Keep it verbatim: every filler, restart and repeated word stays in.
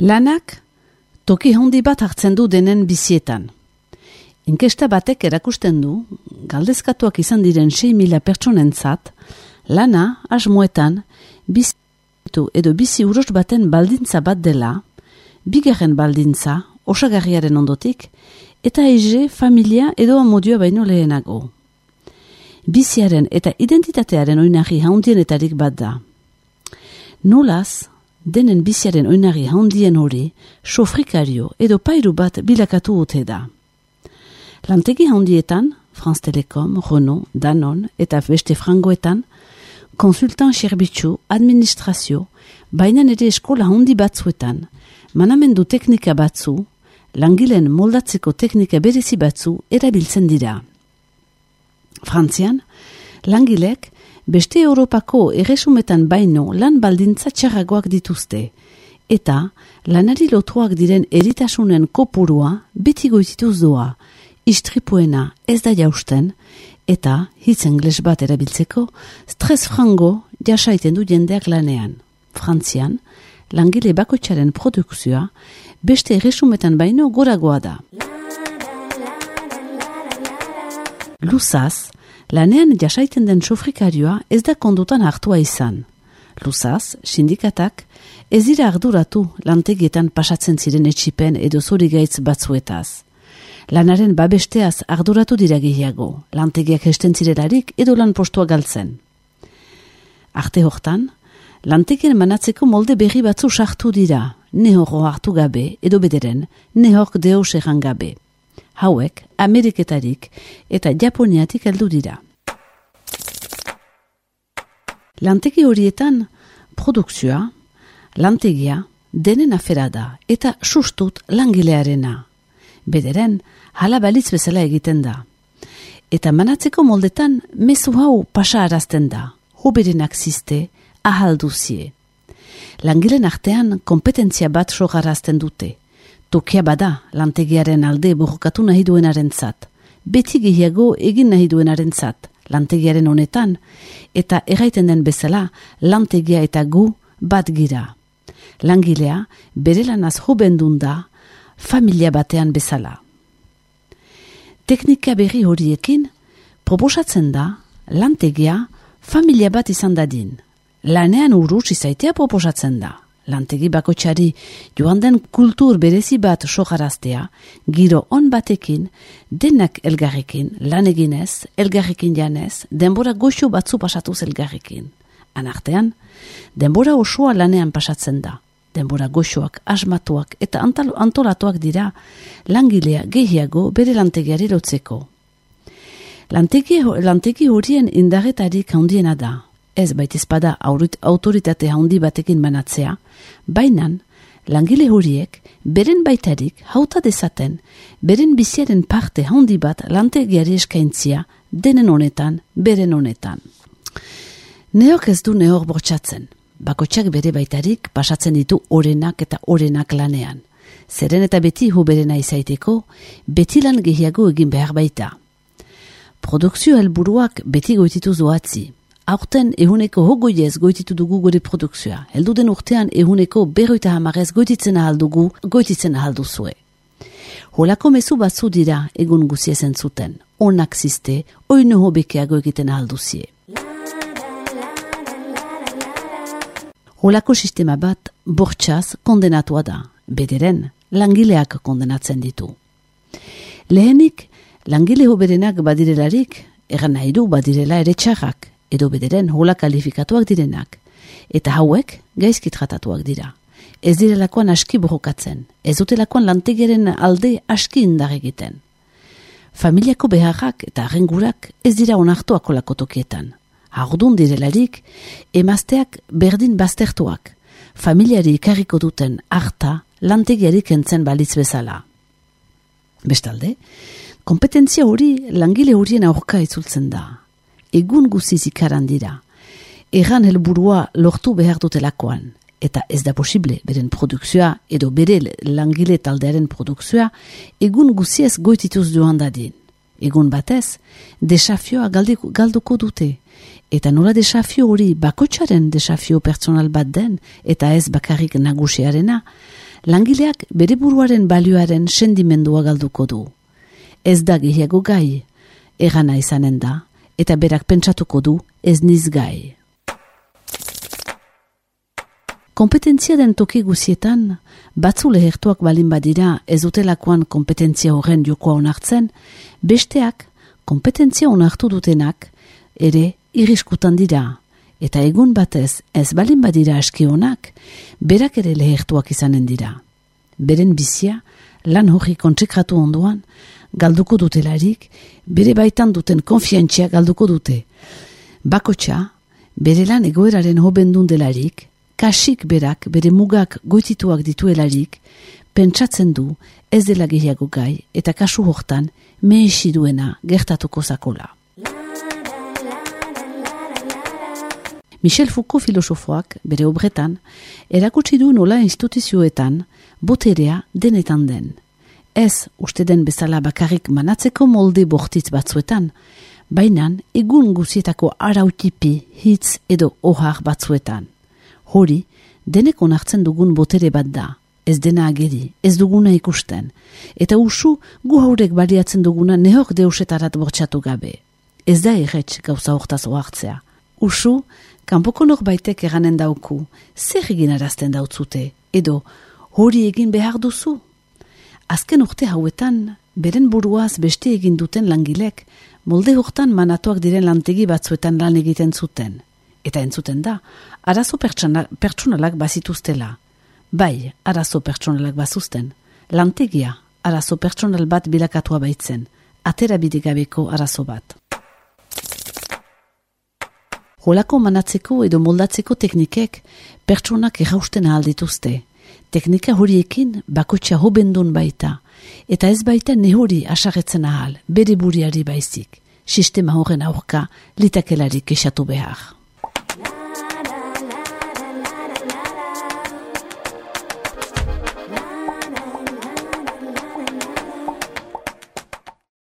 Lanak toki handi bat hartzen du denen bizietan. Inkesta batek erakusten du, galdezkatuak izan diren sei mila pertsonentzat, lana asmoetan bizitu edo bizi uros baten baldintza bat dela, bigarren baldintza, osagarriaren ondotik, eta ege, familia edo amodioa baino lehenago. Biziaren eta identitatearen oinarri handienetarik bat da. Nolaz, denen biziaren oinarri handien hori, sofrikario edo pairu bat bilakatu ote da. Lantegi handietan, France Telecom, Renault, Danone eta beste frangoetan, konsultan zerbitzu, administrazio, baina ere eskola handi batzuetan, manamendu teknika batzu, langileen moldatzeko teknika berezi batzu erabiltzen dira. Frantzian, langilek beste Europako erresumetan baino lan baldintza txarragoak dituzte, eta lanari lotuak diren eritasunen kopurua beti goitituz doa, istripuena ez da jausten, eta, hitz engles bat erabiltzeko, stres frango jasaiten du jendeak lanean. Frantzian, langile bakoitzaren produkzioa beste erresumetan baino goragoa da. Luzaz, lanean jasaiten den sofrikarioa ez da kondutan hartua izan. Luzaz, sindikatak ez dira arduratu lantegietan pasatzen ziren etxipen edo zorigaitz batzuetaz. Lanaren babesteaz arduratu dira gehiago, lantegiak esten zirelarik edo lan postua galtzen. Arte hortan, lantegien manatzeko molde berri batzu sartu dira, nehorro hartu gabe edo bederen, nehork deus egan gabe. Hauek, Ameriketarik eta Japoniatik heldu dira. Lantegi horietan, produkzioa, lantegia, denen afera da eta sustut langilearena. Bederen, hala balitz bezala egiten da. Eta manatzeko moldetan, mezu hau pasa arazten da, hoberenak ziste, ahalduzie. Langilen artean, kompetentzia bat sogarazten dute. Tokia bada, lantegiaren alde borrokatu nahi duenaren zat, beti gehiago egin nahi duenaren zat, lantegiaren honetan, eta erraiten den bezala, lantegia eta gu bat gira. Langilea, bere lanaz hobendun da, familia batean bezala. Teknika berri horiekin, proposatzen da, lantegia, familia bat izan dadin. Lanean urruz izaitea proposatzen da. Lantegi bakoitzari joan den kultur berezi bat sogaraztea, giro on batekin, denak elgarrekin, lan eginez, elgarrekin janez, denbora goxo batzu pasatuz elgarrekin. Anartean, denbora osoa lanean pasatzen da. Denbora goxoak, asmatuak eta antolatuak dira langilea gehiago bere lantegiari lotzeko. Lantegi, lantegi horien indarretarik handiena da. Ez baitezpada autoritate handi batekin manatzea, bainan langile horiek beren baitarik hauta dezaten, beren biziaren parte handi bat lantegiari eskaintzia denen honetan, beren honetan. Neok ez du neor bortxatzen. Bakotxak bere baitarik pasatzen ditu orenak eta orenak lanean. Zeren eta beti hoberena izaiteko, beti lan gehiago egin behar baita. Produkzio helburuak beti goititu zoatzi. Aurten ehuneko hogoiez goititu dugu gure produkzioa. Heldu den urtean ehuneko berroita hamarez goititzen ahaldugu, goititzen ahalduzue. Holako mezu batzu dira egun guziezen zuten. Onak ziste, oino hobekeago egiten ahalduzie. Holako sistema bat bortxaz kondenatua da. Bederen, langileak kondenatzen ditu. Lehenik, langile hoberenak badirelarik, egan nahi du badirela ere txarrak, edo bederen hola kalifikatuak direnak, eta hauek gaizki tratatuak dira. Ez direlakoan aski borrokatzen, ez dutelakoan lantegiaren alde aski indar egiten. Familiako beharrak eta arrengurak ez dira onartuak olako tokietan. Haurdun direlarik, emazteak berdin baztertuak, familiari ikarriko duten harta lantegiari kentzen balitz bezala. Bestalde, kompetentzia hori langile horien aurka itzultzen da. Egun guziz ikaran dira. Erran helburua lortu behar dutelakoan, eta ez da posible beren produkzioa edo bere langile taldearen produkzioa egun guziez goitituz joan dadin. Egun batez, desafioa galduko dute, eta nola desafio hori bakotxaren desafio pertsonal bat den, eta ez bakarrik nagusiarena, langileak bere buruaren balioaren sendimendua galduko du. Ez da gehiago gai, egana izanen da, eta berak pentsatuko du ez niz gai. Kompetentzia den toki guzietan, batzu lehertuak balin badira ez dutelakoan kompetentzia horren jokoa onartzen, besteak kompetentzia onartu dutenak ere irriskutan dira, eta egun batez ez balin badira aski onak, berak ere lehertuak izanen dira. Beren bizia, lan hori kontsekratu ondoan, galduko dutelarik, bere baitan duten konfiantzia galduko dute. Bakotxa, bere lan egoeraren hobendun delarik, kasik berak bere mugak goitituak dituelarik, pentsatzen du ez dela gehiago gai eta kasu hortan mehesi duena gertatuko zakola. Michel Foucault filosofoak bere obretan erakutsi du nola instituzioetan boterea denetan den. Ez uste den bezala bakarrik manatzeko molde bortitz batzuetan, bainan egun guzietako arautipi, hitz edo ohar batzuetan. Hori, denek onartzen dugun botere bat da, ez dena ageri, ez duguna ikusten, eta usu gu haurek baliatzen duguna nehok deusetarat bortxatu gabe. Ez da erretx gauza hortaz ohartzea. Usu, kanpoko norbaitek eranen dauku, zer egin arazten dautzute, edo hori egin behar duzu? Azken urte hauetan, beren buruaz beste egin duten langilek, molde hortan manatuak diren lantegi batzuetan lan egiten zuten. Eta entzuten da, arazo pertsonalak bazituztela. Bai, arazo pertsonalak bazuzten. Lantegia, arazo pertsonal bat bilakatua baitzen. Atera bidegabeko arazo bat. Holako manatzeko edo moldatzeko teknikek pertsonak errausten ahal dituzte. Teknika horiekin bakotxa hobendun baita, eta ez baita nehori asarretzen ahal, bere buriari baizik. Sistema horren aurka litakelarik esatu behar.